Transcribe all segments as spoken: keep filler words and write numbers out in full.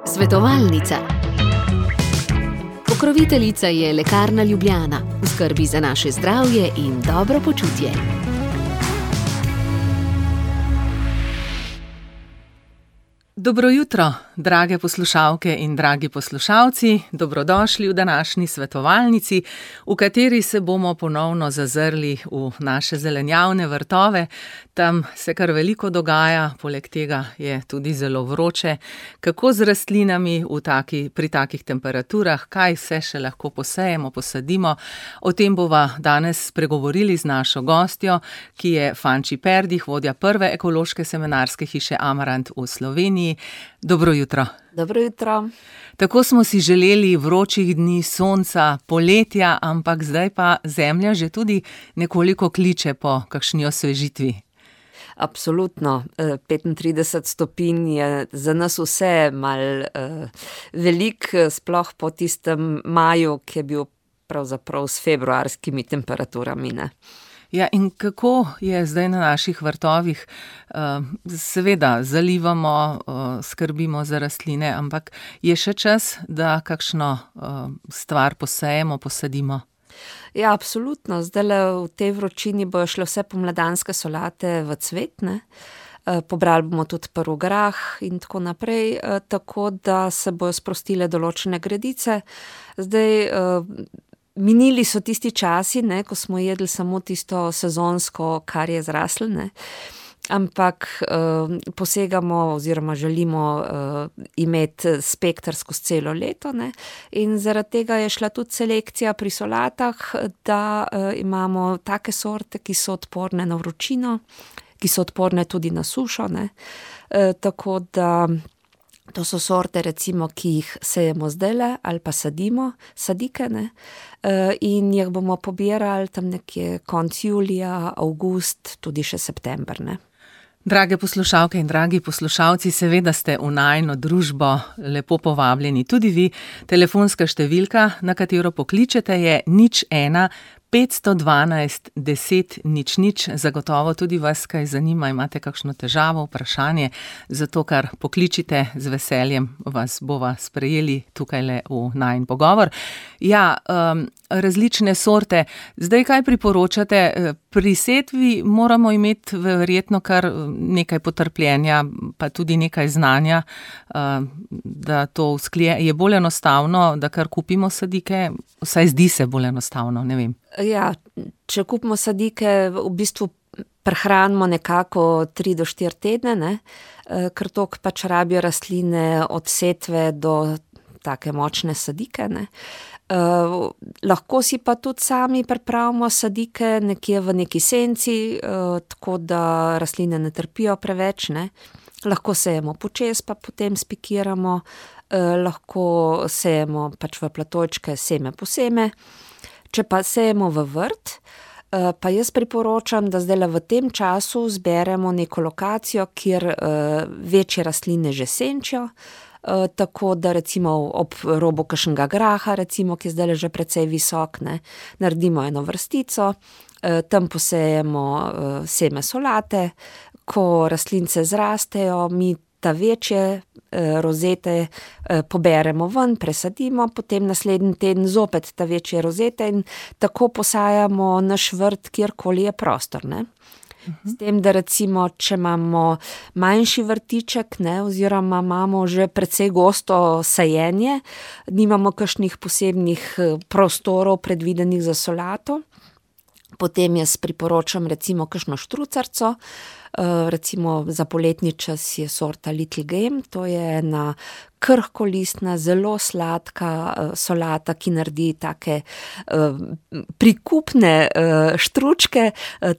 Svetovalnica. Pokroviteljica je Lekarna Ljubljana, v skrbi za naše zdravje in dobro počutje. Dobro jutro, drage poslušalke in dragi poslušalci, dobrodošli v današnji svetovalnici, v kateri se bomo ponovno zazrli v naše zelenjavne vrtove. Tam se kar veliko dogaja, poleg tega je tudi zelo vroče. Kako z rastlinami v taki, pri takih temperaturah, kaj vse še lahko posejemo, posadimo. O tem bova danes spregovorili z našo gostjo, ki je Fanči Perdih, vodja prve ekološke semenarske hiše Amarant v Sloveniji. Dobro jutro. Dobro jutro. Tako smo si želeli vročih dni, sonca, poletja, ampak zdaj pa zemlja že tudi nekoliko kliče po kakšni osvežitvi. Absolutno. petintrideset stopinj je za nas vse malo uh, velik, sploh po tistem maju, ki je bil pravzaprav s februarskimi temperaturami, ne. Ja, in kako je zdaj na naših vrtovih? Seveda, zalivamo, skrbimo za rastline, ampak je še čas, da kakšno stvar posejemo, posadimo? Ja, absolutno. Zdajle v tej vročini bojo šle vse pomladanske solate v cvet, ne. Pobrali bomo tudi prvi grah in tako naprej, tako da se bojo sprostile določene gredice. Zdaj, minili so tisti časi, ne, ko smo jedli samo tisto sezonsko, kar je zraslo, ne. Ampak uh, posegamo oziroma želimo uh, imeti spekter skozi celo leto, ne. In zaradi tega je šla tudi selekcija pri solatah, da uh, imamo take sorte, ki so odporne na vročino, ki so odporne tudi na sušo, ne. Uh, tako da to so sorte, recimo, ki jih sejemo zdajle ali pa sadimo, sadike, ne, in jih bomo pobirali tam nekje konec julija, avgust, tudi še september, ne. Drage poslušalke in dragi poslušalci, seveda ste v najino družbo lepo povabljeni tudi vi. Telefonska številka, na katero pokličete, je nič ena petsto dvanajst deset nič nič. Zagotovo tudi vas kaj zanima, imate kakšno težavo, vprašanje, zato kar pokličite, z veseljem vas bova sprejeli tukajle v najin pogovor. Ja, um, različne sorte. Zdaj kaj priporočate? Pri setvi moramo imeti verjetno kar nekaj potrpljenja, pa tudi nekaj znanja, da to usklije. Je bolj enostavno, da kar kupimo sadike? Vsaj zdi se bolj enostavno, ne vem. Ja, če kupimo sadike, v bistvu prehranimo nekako tri do štiri tedne, ne, ker toliko pač rabijo rastline od setve do take močne sadike, ne. Uh, lahko si pa tudi sami pripravimo sadike nekje v neki senci, uh, tako da rastline ne trpijo preveč, ne. Lahko sejemo počez, pa potem spikiramo, uh, lahko sejemo pač v platojčke seme po seme. Če pa sejemo v vrt, uh, pa jaz priporočam, da zdajle v tem času zberemo neko lokacijo, kjer uh, večje rastline že senčijo. Uh, tako da recimo ob robu kakšnega graha, recimo, ki je zdaj že precej visok, ne, naredimo eno vrstico, uh, tam posejemo uh, seme solate, ko rastlince zrastejo, mi ta večje uh, rozete uh, poberemo ven, presadimo, potem naslednji teden zopet ta večje rozete in tako posajamo naš vrt, kjerkoli je prostor, ne. S tem, da recimo, če imamo manjši vrtiček, ne, oziroma imamo že precej gosto sajenje, nimamo kakšnih posebnih prostorov predvidenih za solato, potem jaz priporočam recimo kakšno štrucarco, recimo za poletni čas je sorta Little Game, to je ena krhkolistna, zelo sladka solata, ki naredi take prikupne štručke,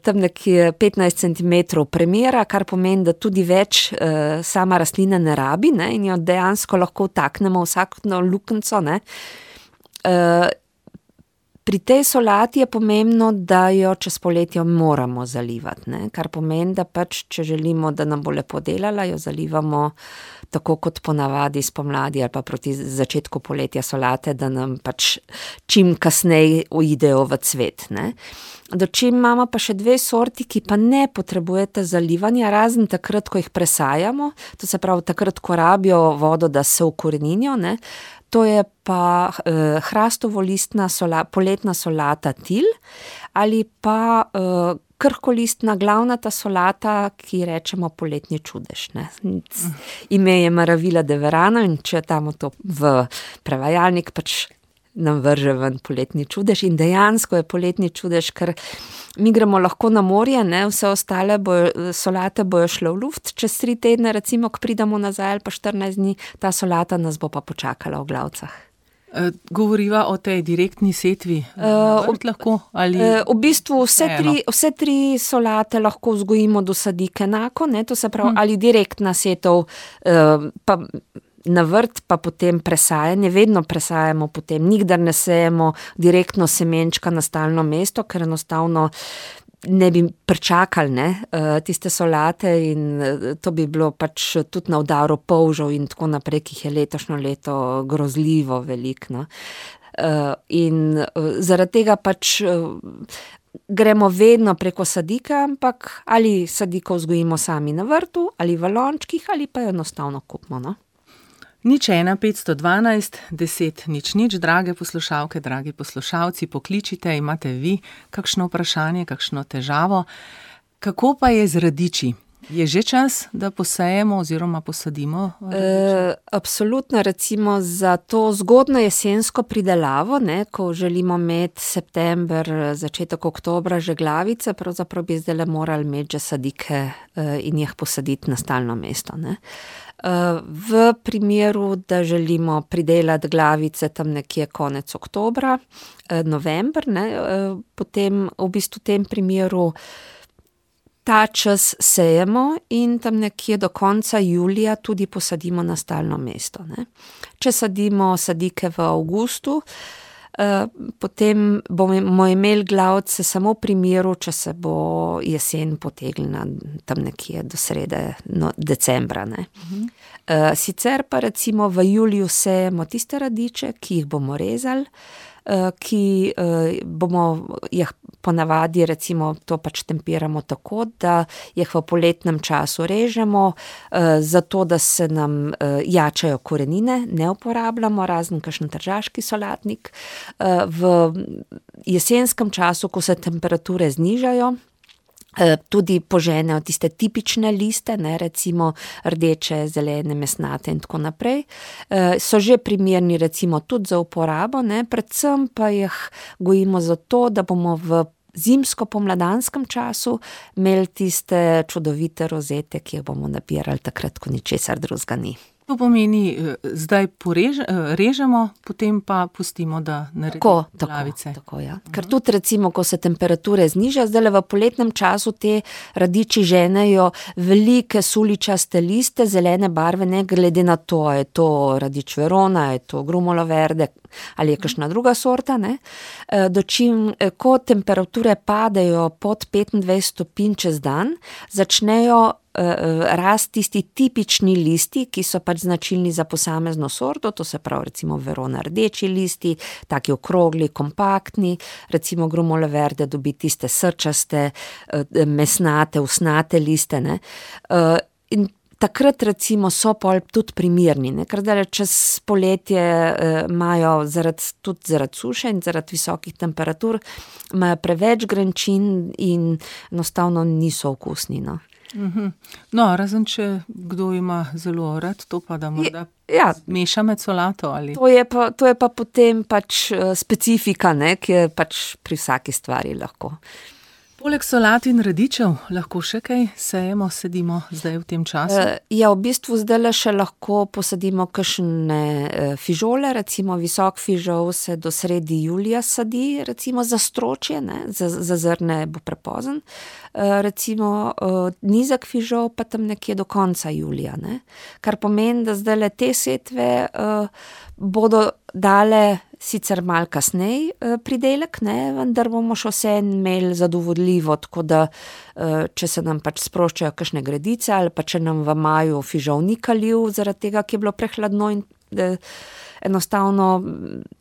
tam nekje petnajst centimetrov premera, kar pomeni, da tudi več sama rastlina ne rabi, ne, in jo dejansko lahko vtaknemo vsakno luknjico, ne. Pri tej solati je pomembno, da jo čez poletje moramo zalivati, ne? Kar pomeni, da pač, če želimo, da nam bo lepo delala, jo zalivamo tako kot ponavadi spomladi ali pa proti začetku poletja solate, da nam pač čim kasneje uidejo v cvet, ne? Dočim imamo pa še dve sorti, ki pa ne potrebujete zalivanja, razen takrat, ko jih presajamo, to se pravi takrat, ko rabijo vodo, da se ukoreninijo, ne. To je pa eh, hrastovolistna sola, poletna solata til ali pa eh, krhkolistna glavnata solata, ki rečemo poletni čudež, ne. Ime je Maravilla de Verano in če damo to v prevajalnik, pač nam vrže ven poletni čudež in dejansko je poletni čudež, ker mi gremo lahko na morje, ne, vse ostale bojo, solate bojo šle v luft, čez tri tedne recimo, ko pridemo nazaj ali pa štirinajst dni, ta solata nas bo pa počakala v Glavcah. E, govoriva o tej direktni setvi, uh, vrt lahko ali... Uh, v bistvu vse tri, vse tri solate lahko vzgojimo do sadik enako, ne, to se pravi, hmm. ali direktna setov, uh, pa na vrt pa potem presajanje, vedno presajamo potem, nikdar ne sejemo direktno semenčka na stalno mesto, ker enostavno ne bi pričakali, ne, tiste solate in to bi bilo pač tudi na udaru polžev in tako naprej, ki jih je letošnjo leto grozljivo veliko, no. In zaradi tega pač gremo vedno preko sadike, ampak ali sadiko vzgojimo sami na vrtu, ali v lončkih, ali pa enostavno kupimo, no. Nič ena, petsto dvanajst, deset, nič nič, drage poslušalke, dragi poslušalci, pokličite, imate vi kakšno vprašanje, kakšno težavo. Kako pa je z radiči? Je že čas, da posejemo oziroma posadimo radiče? E, absolutno, recimo za to zgodno jesensko pridelavo, ne, ko želimo imeti september, začetek oktobra že glavice, pravzaprav bi zdaj morali imeti že sadike in jih posaditi na stalno mesto, ne. V primeru, da želimo pridelati glavice tam nekje konec oktobra, november, ne, potem v bistvu v tem primeru ta čas sejemo in tam nekje do konca julija tudi posadimo na stalno mesto, ne. Če sadimo sadike v avgustu, potem bomo imeli glavice samo v primeru, če se bo jesen potegnila tam nekje do srede no, decembra, ne. Uh-huh. Sicer pa recimo v juliju sejemo tiste radiče, ki jih bomo rezali, ki bomo jih ponavadi recimo to pač tempiramo tako, da jih v poletnem času režemo, zato da se nam jačajo korenine, ne uporabljamo, razen kakšen tržaški solatnik. V jesenskem času, ko se temperature znižajo, tudi poženejo tiste tipične liste, ne, recimo rdeče, zelene, mesnate in tako naprej, so že primerni recimo tudi za uporabo, ne, predvsem pa jih gojimo zato, da bomo v zimsko-pomladanskem času imeli tiste čudovite rozete, ki jih bomo nabirali takrat, ko ničesar drugega ni. To pomeni, zdaj porež, režemo, potem pa pustimo, da naredimo glavice. Tako, tako, ja. Ker tudi recimo, ko se temperature znižajo, zdaj v poletnem času te radiči ženejo velike suličaste liste, zelene barve, ne glede na to, je to radič Verona, je to Grumolo Verde ali je kakšna druga sorta, ne. Dočim, ko temperature padejo pod petindvajset stopinj čez dan, začnejo rast tisti tipični listi, ki so pač značilni za posamezno sorto, to se pravi recimo Verona rdeči listi, taki okrogli, kompaktni, recimo Grumolo Verde dobi tiste srčaste, mesnate, usnate liste, ne. In takrat recimo so pol tudi primerni, ne, ker zdaj čez poletje imajo zaradi, tudi zaradi suše in zaradi visokih temperatur, imajo preveč grenčin in enostavno niso okusni, no. No, razen če kdo ima zelo rad, to pa da morda ja, meša med solato ali... To je pa, to je pa potem pač specifika, ne, ki je pač pri vsaki stvari lahko. Poleg solat in radičev lahko še kaj sejemo, sedimo zdaj v tem času? Ja, v bistvu zdaj še lahko posadimo kakšne fižole, recimo visok fižol se do sredi julija sadi, recimo za stročje, ne, za, za zrne bo prepozen. Recimo nizek fižol pa tam nekje do konca julija, ne. Kar pomeni, da zdaj le te setve bodo dale sicer malo kasneje pridelek, ne, vendar bomo še vse imeli zadovoljivo, tako da če se nam pač sproščajo kakšne gredice ali pa če nam v maju fižol ni kalil zaradi tega, ki je bilo prehladno in enostavno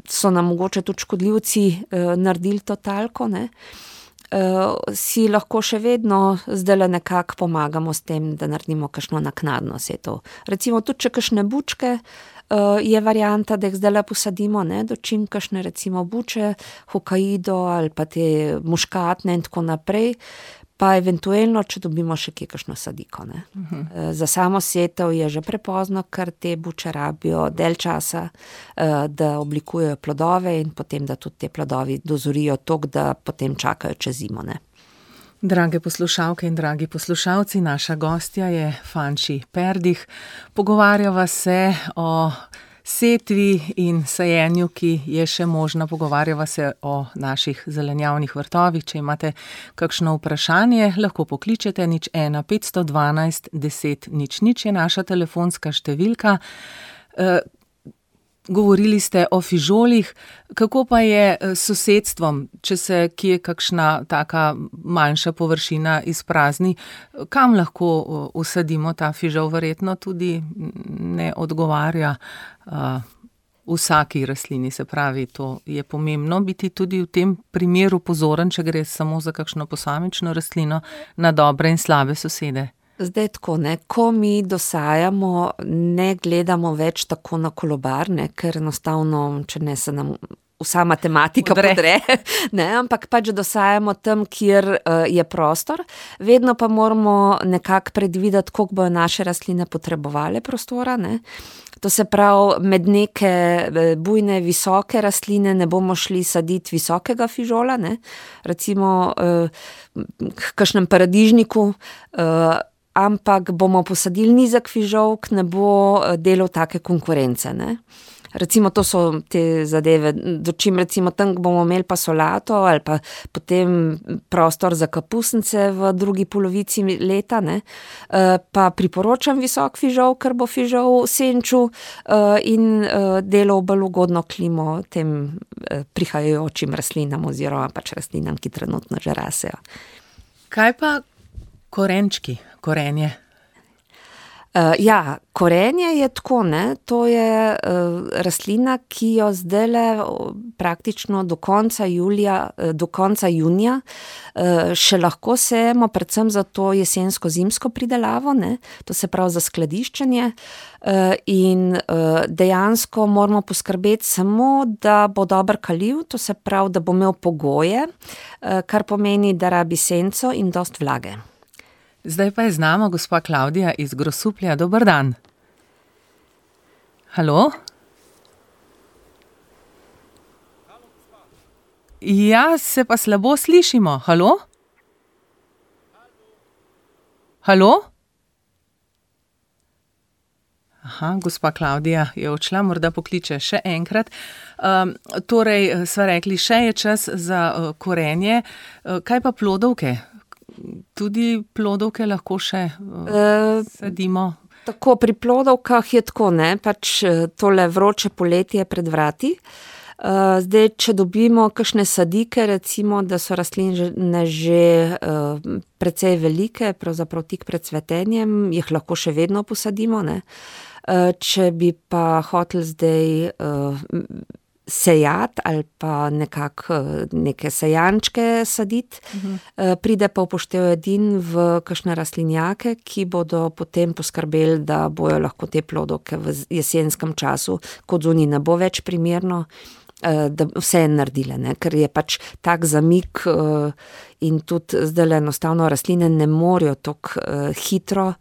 so nam mogoče tudi škodljivci naredili to talko, ne. si lahko še vedno zdajle nekako pomagamo s tem, da naredimo kakšno naknadno setev. Recimo tudi, če kakšne bučke, je varianta, da jih zdajle posadimo, ne, dočim kakšne recimo buče, hokaido ali pa te muškatne in tako naprej, pa eventuelno, če dobimo še kje kakšno sadiko, ne. Uh-huh. Za samo setev je že prepozno, ker te buče rabijo del časa, da oblikujejo plodove in potem, da tudi te plodovi dozorijo toliko, da potem čakajo čez zimo, ne. Drage poslušalke in dragi poslušalci, naša gostja je Fanči Perdih. Pogovarjava se o setvi in sajenju, ki je še možna. Pogovarjava se o naših zelenjavnih vrtovih. Če imate kakšno vprašanje, lahko pokličete nič ena petsto dvanajst deset nič nič je naša telefonska številka. E, govorili ste o fižolih. Kako pa je s sosedstvom, če se kje kakšna taka manjša površina izprazni, kam lahko usadimo ta fižol? Verjetno tudi ne odgovarja uh, vsaki rastlini, se pravi, to je pomembno biti tudi v tem primeru pozoren, če gre samo za kakšno posamično rastlino, na dobre in slabe sosede. Zdaj tako, ne, ko mi dosajamo, ne gledamo več tako na kolobar, ne, ker enostavno, če ne se nam vsa matematika podre, podre ne, ampak pač dosajamo tam, kjer uh, je prostor. Vedno pa moramo nekako predvideti, koliko bojo naše rastline potrebovale prostora, ne. To se pravi, med neke bujne, visoke rastline ne bomo šli saditi visokega fižola, ne. Recimo uh, k kakšnem paradižniku, uh, ampak bomo posadili nizek fižol, ki ne bo delal take konkurence, ne. Recimo to so te zadeve, dočim recimo tam bomo imeli pa solato ali pa potem prostor za kapusnice v drugi polovici leta, ne, pa priporočam visok fižol, ker bo fižol senčil in delal bolj ugodno klimo tem prihajajočim rastlinam oziroma pač rastlinam, ki trenutno že rasejo. Kaj pa korenčki, korenje? Uh, ja, korenje je tako, ne, to je uh, rastlina, ki jo zdajle praktično do konca julija, do konca junija uh, še lahko sejemo, predvsem za to jesensko-zimsko pridelavo, ne, to se pravi za skladiščenje uh, in uh, dejansko moramo poskrbeti samo, da bo dober kaliv, to se pravi, da bo imel pogoje, uh, kar pomeni, da rabi senco in dost vlage. Zdaj pa je z nama gospa Klavdija iz Grosuplja. Dober dan. Halo? Ja, se pa slabo slišimo. Halo? Halo? Aha, gospa Klavdija je odšla, morda pokliče še enkrat. Um, torej, sva rekli, še je čas za uh, korenje. Uh, kaj pa plodovke? Tudi plodovke lahko še uh, sadimo? E, tako, pri plodovkah je tako, ne, pač tole vroče poletje pred vrati. Uh, zdaj, če dobimo kakšne sadike, recimo, da so rastline že uh, precej velike, pravzaprav tik pred cvetenjem, jih lahko še vedno posadimo, ne. Uh, če bi pa hotel zdaj uh, sejati ali pa nekako neke sejančke saditi, uh-huh. pride pa upoštev edin v kakšne rastlinjake, ki bodo potem poskrbeli, da bojo lahko te plodovke v jesenskem času, kot zunaj ne bo več primerno, da vse je naredile, ne? Ker je pač tak zamik in tudi zdaj enostavno rastline ne morejo tako hitro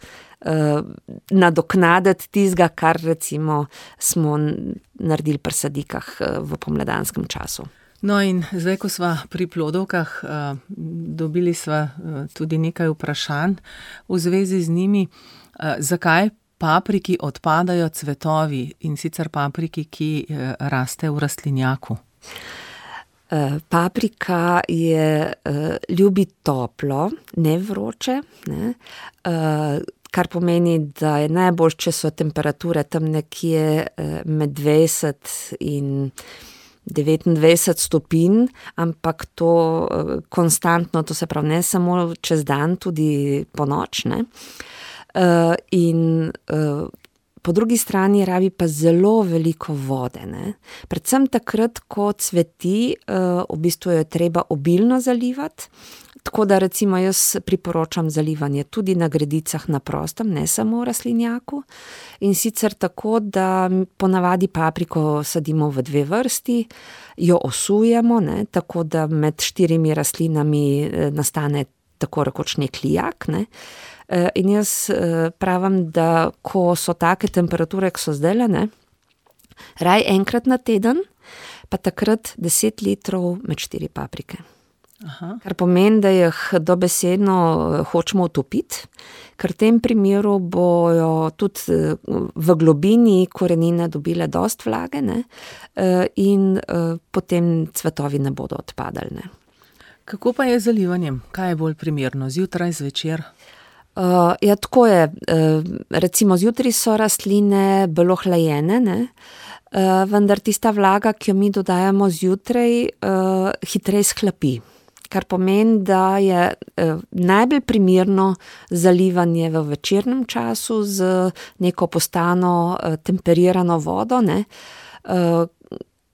nadoknaditi tizga, kar recimo smo naredili pri sadikah v pomladanskem času. No in zdaj, ko sva pri plodovkah, dobili sva tudi nekaj vprašanj v zvezi z njimi. Zakaj papriki odpadajo cvetovi, in sicer papriki, ki raste v rastlinjaku? Paprika je ljubi toplo, ne vroče, ne, kar pomeni, da je najbolj, če so temperature tam nekje med dvajset in devetindvajset stopinj, ampak to konstantno, to se pravi ne samo čez dan, tudi po noč, ne. In po drugi strani rabi pa zelo veliko vode, ne. Predvsem takrat, ko cveti, v bistvu jo je treba obilno zalivati, tako da recimo jaz priporočam zalivanje tudi na gredicah na prostem, ne samo v rastlinjaku, in sicer tako, da ponavadi papriko sadimo v dve vrsti, jo osujemo, ne, tako da med štirimi rastlinami nastane tako rekoč nek lijak, ne. In jaz pravim, da ko so take temperature, ko so zdajle, ne, raj enkrat na teden, pa takrat deset litrov med štiri paprike. Aha. Kar pomeni, da jih dobesedno hočemo utopiti, ker v tem primeru bojo tudi v globini korenine dobile dost vlage, ne, in potem cvetovi ne bodo odpadali, ne. Kako pa je z zalivanjem? Kaj je bolj primerno? Zjutraj, zvečer? Uh, ja, tako je. Uh, recimo zjutraj so rastline bolj ohlajene, ne? Uh, vendar tista vlaga, ki jo mi dodajamo zjutraj, uh, hitreje shlapi. Kar pomeni, da je uh, najbolj primerno zalivanje v večernem času z neko postano uh, temperirano vodo, ne? Uh,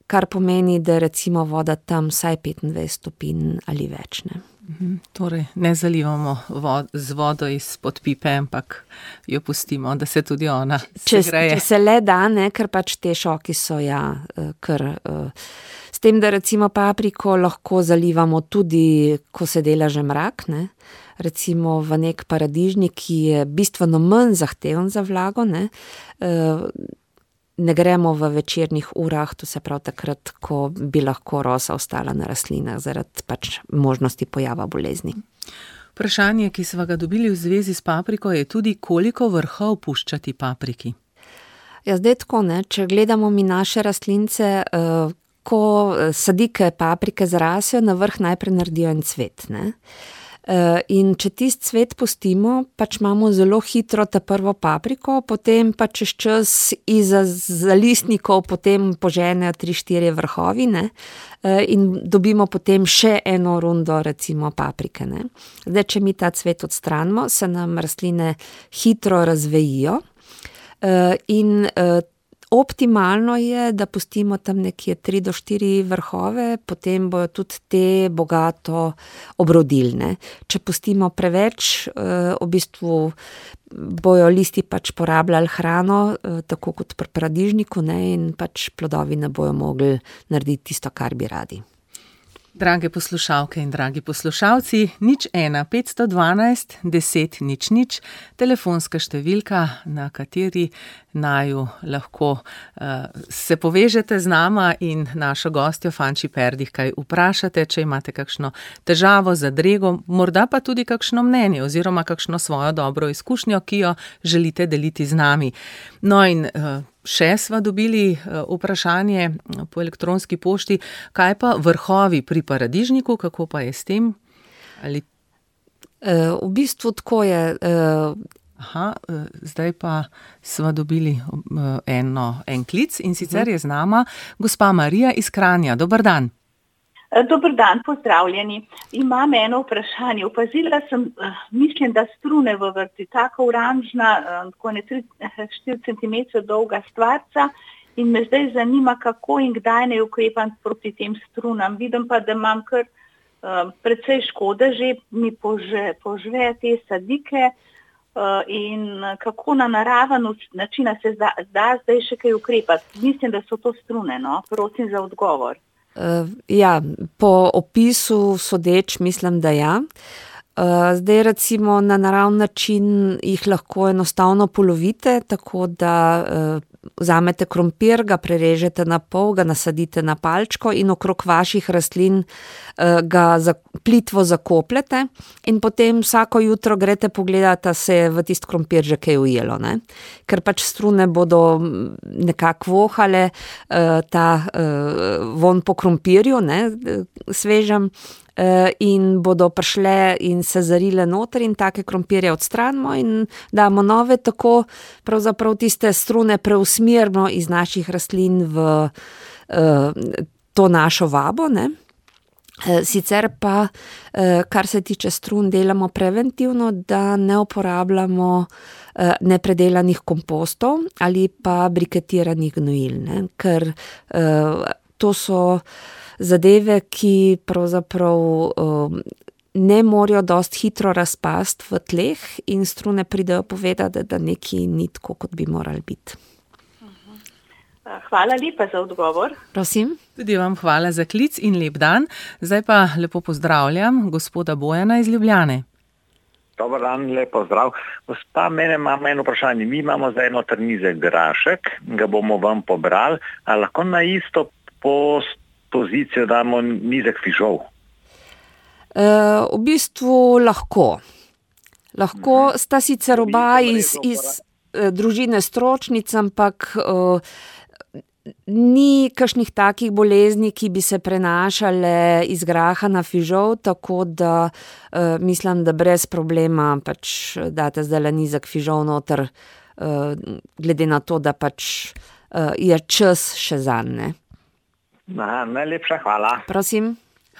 kar pomeni, da recimo voda tam vsaj petindvajset stopinj ali več, ne. Mhm, torej, ne zalivamo vod, z vodo izpod pipe, ampak jo pustimo, da se tudi ona segreje. Če se le da, ne, ker pač te šoki so, ja, kar, s tem, da recimo papriko lahko zalivamo tudi, ko se dela že mrak, ne. Recimo v nek paradižnik, ki je bistveno manj zahteven za vlago, ne, ne gremo v večernih urah, to se pravi takrat, ko bi lahko rosa ostala na rastlinah zaradi pač možnosti pojava bolezni. Vprašanje, ki sva ga dobili v zvezi s papriko, je tudi, koliko vrhov puščati papriki? Ja, zdaj tako, ne, če gledamo mi naše rastlince, ko sadike paprike zrasejo, na vrh najprej naredijo en cvet, ne. In če tisti cvet pustimo, pač imamo zelo hitro ta prvo papriko, potem pa čez čas iza zalistnikov potem poženejo tri, štiri vrhovi, ne, in dobimo potem še eno rundo recimo paprike, ne. Zdaj, če mi ta cvet odstranimo, se nam rastline hitro razvejijo, in optimalno je, da pustimo tam nekje tri do štiri vrhove, potem bojo tudi te bogato obrodilne. Če pustimo preveč, v bistvu bojo listi pač porabljali hrano, tako kot pri paradižniku, ne, in pač plodovi ne bojo mogli narediti tisto, kar bi radi. Drage poslušalke in dragi poslušalci, nič ena petsto dvanajst deset nič nič, telefonska številka, na kateri naju lahko uh, se povežete z nama in našo gostjo Fanči Perdih kaj vprašate, če imate kakšno težavo, zadrego, morda pa tudi kakšno mnenje oziroma kakšno svojo dobro izkušnjo, ki jo želite deliti z nami. No in uh, še sva dobili vprašanje po elektronski pošti, kaj pa vrhovi pri paradižniku, kako pa je s tem? Ali... V bistvu tako je. Aha, zdaj pa sva dobili eno, en klic in sicer je z nama gospa Marija iz Kranja. Dober dan. Dober dan, pozdravljeni. Imam eno vprašanje. Opazila sem, mislim, da strune v vrti, tako oranžna, tako ne tri štiri centimetre dolga stvarca, in me zdaj zanima, kako in kdaj ne ukrepam proti tem strunam. Vidim pa, da imam kar uh, precej škode, že mi pože, požve te sadike uh, in kako na naraven način se da, da zdaj še kaj ukrepati. Mislim, da so to strune, no? Prosim za odgovor. Uh, ja, po opisu sodeč mislim, da ja. Uh, zdaj recimo na naravni način jih lahko enostavno polovite, tako da uh, vzamete krompir, ga prerežete na pol, ga nasadite na palčko in okrog vaših rastlin uh, ga za, plitvo zakopljete in potem vsako jutro greste pogledati, da se je v tist krompir že kaj ujelo, ne? Ker pač strune bodo nekako vohale uh, ta uh, von po krompirju, ne, svežem, in bodo prišle in se zarile noter in take krompirje odstranimo in damo nove, tako pravzaprav tiste strune preusmerimo iz naših rastlin v uh, to našo vabo, ne. Sicer pa, kar se tiče strun, delamo preventivno, da ne uporabljamo nepredelanih kompostov ali pa briketiranih gnojil, ne? Ker to so zadeve, ki pravzaprav ne morajo dosti hitro razpasti v tleh in strune pridejo povedati, da nekaj ni tako, kot bi morali biti. Hvala lepa za odgovor. Prosim. Tudi vam hvala za klic in lep dan. Zdaj pa lepo pozdravljam gospoda Bojana iz Ljubljane. Dobar dan, lep pozdrav. Gospa, mene imamo eno vprašanje. Mi imamo zdaj noter nizek grašek, ga bomo vam pobrali, a lahko na isto pozicijo damo nizek fižol? E, v bistvu lahko. Lahko hmm. sta sicer oba iz, iz e, družine stročnic, ampak e, ni kakšnih takih bolezni, ki bi se prenašale iz graha na fižol, tako da uh, mislim, da brez problema pač date zdaj nizek fižol noter, uh, glede na to, da pač uh, je čas še zanj. Najlepša hvala. Prosim.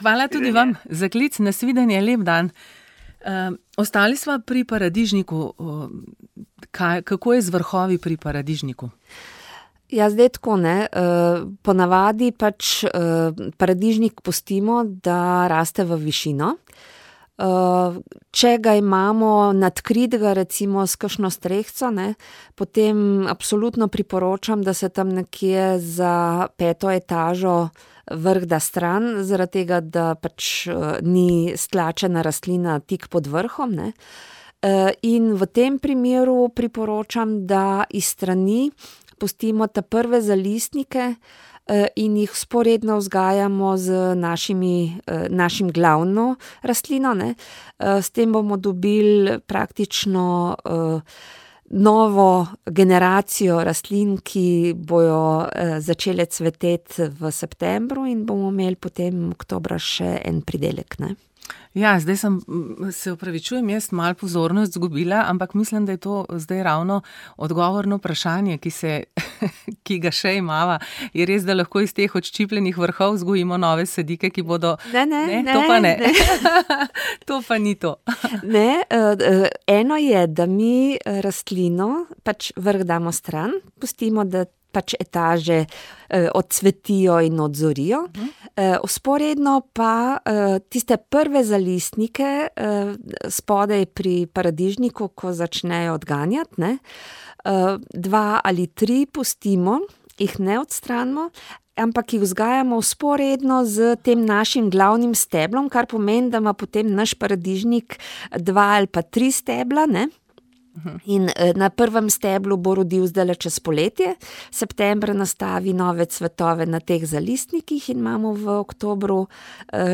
Hvala tudi vam za klic, nasvidenje, lep dan. Uh, ostali smo pri paradižniku. Uh, kaj, kako je z vrhovi pri paradižniku? Ja, zdaj tako ne. Ponavadi pač paradižnik pustimo, da raste v višino. Če ga imamo nadkritega recimo s kakšno strehco, ne, potem absolutno priporočam, da se tam nekje za peto etažo vrh da stran, zaradi tega, da pač ni stlačena rastlina tik pod vrhom, ne. In v tem primeru priporočam, da iz strani pustimo te prve zalistnike in jih sporedno vzgajamo z našimi, našim glavno rastlino, ne. S tem bomo dobili praktično novo generacijo rastlin, ki bojo začele cveteti v septembru in bomo imeli potem oktobra še en pridelek, ne. Ja, zdaj sem, se opravičujem, jaz malo pozornost zgubila, ampak mislim, da je to zdaj ravno odgovorno vprašanje, ki se, ki ga še imava. Je res, da lahko iz teh odščipljenih vrhov vzgojimo nove sadike, ki bodo... Ne, ne, ne. ne to pa ne. ne. To pa ni to. Ne, eno je, da mi rastlino pač vrh damo stran, pustimo, da pač etaže eh, odsvetijo in odzorijo. Eh, usporedno pa eh, tiste prve zalistnike eh, spodaj pri paradižniku, ko začnejo odganjati, ne, eh, dva ali tri pustimo, jih ne odstranimo, ampak jih vzgajamo usporedno z tem našim glavnim steblom, kar pomeni, da ima potem naš paradižnik dva ali pa tri stebla, ne. In na prvem steblu bo rodil zdaj čez poletje, septembra nastavi nove cvetove na teh zalistnikih in imamo v oktobru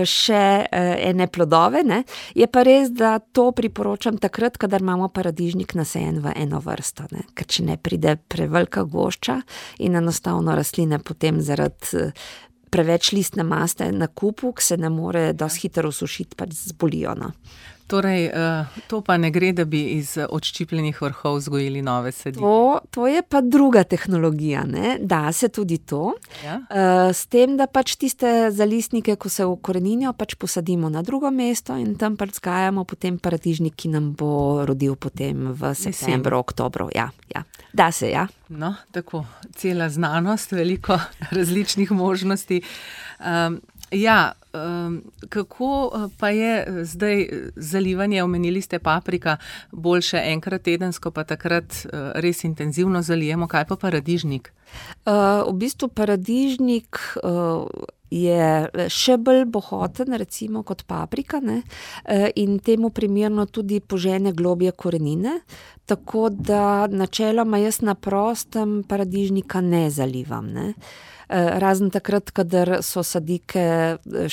še ene plodove, ne. Je pa res, da to priporočam takrat, kadar imamo paradižnik nasajen v eno vrsto, ne. Ker če ne pride prevelika gošča in enostavno rastline potem zaradi preveč listne maste na kupu, ki se ne more dosti hitro usušiti, pač zbolijo, no. Torej, to pa ne gre, da bi iz odščipljenih vrhov vzgojili nove sadike. To, to je pa druga tehnologija, ne. Da se tudi to. Ja. S tem, da pač tiste zalistnike, ko se ukoreninijo, pač posadimo na drugo mesto in tam pač vzgajamo potem paradižnik, ki nam bo rodil potem v septembru, oktobru. Ja, ja. Da se, ja. No, tako, cela znanost, veliko različnih možnosti. Um, Ja, kako pa je zdaj zalivanje, omenili ste paprika, boljše enkrat tedensko, pa takrat res intenzivno zalijemo, kaj pa paradižnik? V bistvu paradižnik je še bolj bohoten, recimo, kot paprika, ne, in temu primerno tudi požene globje korenine, tako da načeloma jaz na prostem paradižnika ne zalivam, ne. Razen takrat, kadar so sadike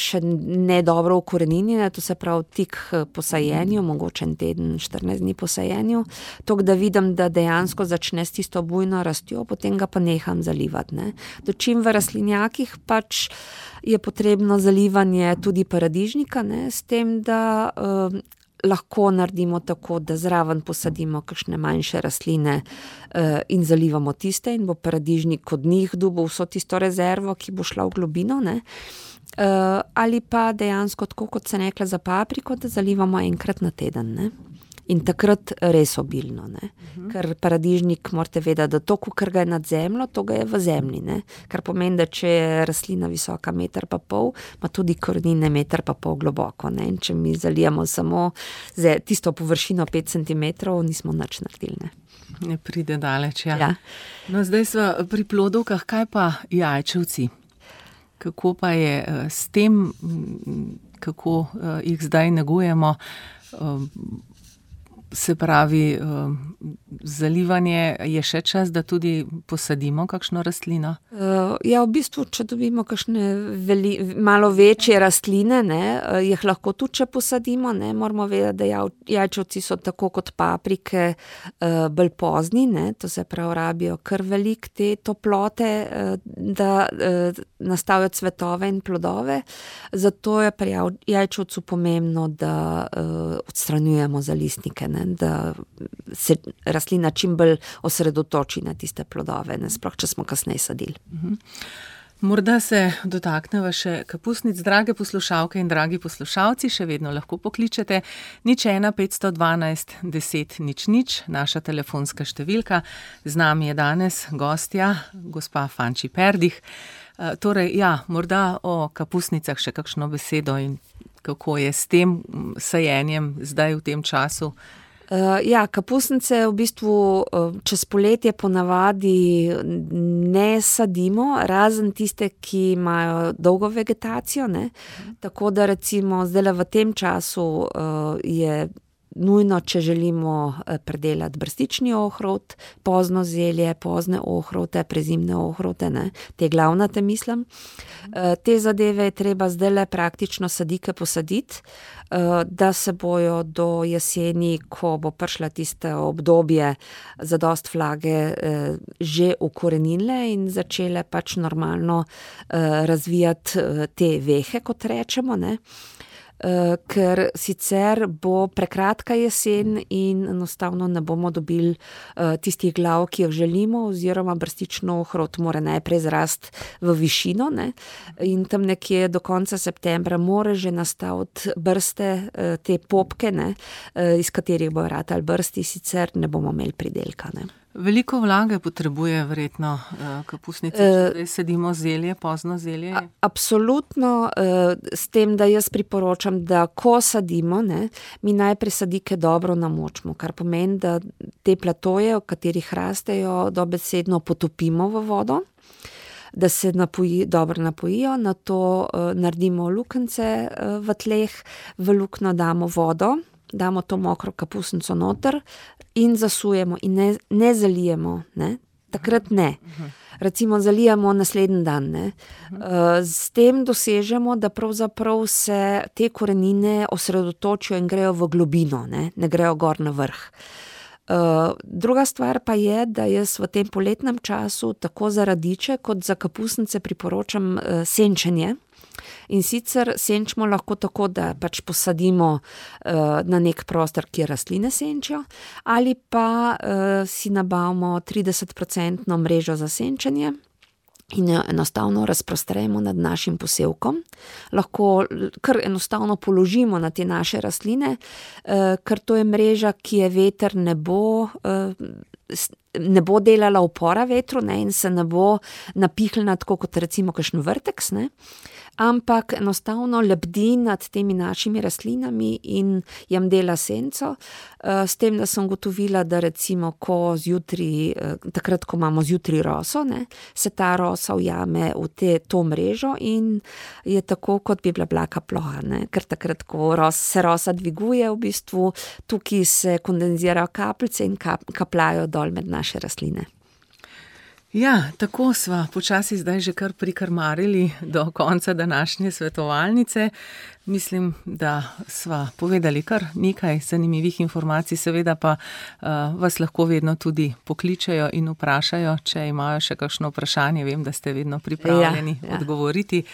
še ne dobro ukoreninjene, to se pravi tik po sajenju, mogoče en teden, štirinajst dni po sajenju, tako da vidim, da dejansko začne s tisto bujno rastjo, potem ga pa neham zalivati, ne. Dočim v rastlinjakih pač je potrebno zalivanje tudi paradižnika, ne, s tem, da uh, lahko naredimo tako, da zraven posadimo kakšne manjše rastline uh, in zalivamo tiste in bo paradižnik od njih dobil vso tisto rezervo, ki bo šla v globino, ne. Uh, ali pa dejansko tako, kot se rekla za papriko, da zalivamo enkrat na teden, ne? In takrat res obilno, ne? Uh-huh. Ker paradižnik morate vedeti, da to, kar ga je nad zemljo, to ga je v zemlji, ne? Kar pomeni, da če je rastlina visoka meter pa pol, ima tudi korenine meter pa pol globoko, ne? In če mi zalijamo samo tisto površino pet centimetrov, nismo nič naredili, ne? Ne pride daleč, ja. Ja. No, zdaj sva pri plodovkah, kaj pa jajčevci? Kako pa je s tem, kako jih zdaj negujemo? Se pravi, zalivanje, je še čas, da tudi posadimo kakšno rastlino? Ja, v bistvu, če dobimo kakšne veli, malo večje rastline, ne, jih lahko tudi, če posadimo, ne, moramo vedeti, da jajčevci so tako kot paprike bolj pozni, ne, to se pravi, rabijo kar veliko te toplote, da nastavijo cvetove in plodove, zato je pri jajčevcu pomembno, da odstranjujemo zalistnike, ne, da se rastlina čim bolj osredotoči na tiste plodove, ne, sploh, če smo kasneje sadili. Morda se dotakneva še kapusnic. Drage poslušalke in dragi poslušalci, še vedno lahko pokličete nič ena petsto dvanajst deset nič nič, naša telefonska številka. Z nami je danes gostja, gospa Fanči Perdih. Torej, ja, morda o kapusnicah še kakšno besedo in kako je s tem sajenjem zdaj v tem času? Uh, ja, kapusnice v bistvu uh, čez poletje ponavadi ne sadimo, razen tiste, ki imajo dolgo vegetacijo, ne. Tako da recimo zdaj v tem času uh, je nujno, če želimo predelati brstični ohrovt, pozno zelje, pozne ohrovte, prezimne ohrovte, ne, te glavnate mislim. Te zadeve je treba zdajle praktično sadike posaditi, da se bojo do jeseni, ko bo prišla tiste obdobje zadost vlage, že ukorenile in začele pač normalno razvijati te vehe, kot rečemo, ne. Uh, ker sicer bo prekratka jesen in enostavno ne bomo dobili uh, tistih glav, ki jih želimo, oziroma brstično ohrovt mora najprej zrasti v višino, ne, in tam nekje do konca septembra mora že nastaviti brste, uh, te popke, ne, uh, iz katerih bo ratali brsti, sicer ne bomo imeli pridelka, ne. Veliko vlage potrebuje verjetno kapusnice, če zdaj sedimo zelje, pozno zelje? A, absolutno, s tem, da jaz priporočam, da ko sadimo, ne, mi najprej sadike dobro namočimo, kar pomeni, da te platoje, v katerih rastejo, dobesedno potopimo v vodo, da se napoji, dobro napojijo, nato naredimo luknjice v tleh, v luknjo damo vodo, damo to mokro kapusnico noter in zasujemo in ne, ne zalijemo, ne, takrat ne. Recimo zalijemo naslednji dan, ne. S tem dosežemo, da pravzaprav se te korenine osredotočijo in grejo v globino, ne, ne grejo gor na vrh. Druga stvar pa je, da jaz v tem poletnem času tako za radiče kot za kapusnice priporočam senčenje. In sicer senčimo lahko tako, da pač posadimo uh, na nek prostor, kjer rastline senčijo, ali pa uh, si nabavimo trideset procentno mrežo za senčenje in jo enostavno razprostremo nad našim posevkom. Lahko kar enostavno položimo na te naše rastline, uh, ker to je mreža, ki je veter ne bo... Uh, ne bo delala upora vetru, ne, in se ne bo napihnila tako kot recimo kakšen vrteks, ne, ampak enostavno lebdi nad temi našimi rastlinami in jim dela senco, s tem, da sem gotovila, da recimo, ko zjutri, takrat, ko imamo zjutri roso, ne, se ta rosa ujame v te, to mrežo in je tako, kot bi bila blaka ploha, ne, ker takrat, ko ros, se rosa dviguje, v bistvu tukaj se kondenzirajo kapljice in kap, kapljajo dol med naše rastline. Ja, tako sva počasi zdaj že kar prikrmarili do konca današnje svetovalnice. Mislim, da sva povedali kar nekaj zanimivih informacij, seveda pa uh, vas lahko vedno tudi pokličejo in vprašajo, če imajo še kakšno vprašanje. Vem, da ste vedno pripravljeni ja, ja. odgovoriti.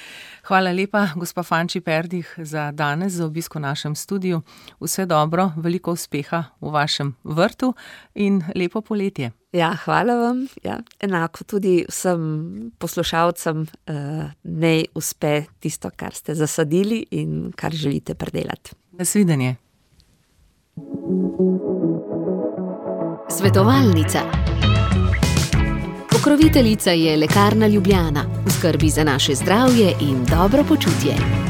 Hvala lepa, gospa Fanči Perdih, za danes, za obisk v našem studiu. Vse dobro, veliko uspeha v vašem vrtu in lepo poletje. Ja, hvala vam. Ja, enako tudi vsem poslušalcem uh, naj uspe tisto, kar ste zasadili in kar želite predelati. Nasvidenje. Svetovalnica. Pokroviteljica je Lekarna Ljubljana. V skrbi za naše zdravje in dobro počutje.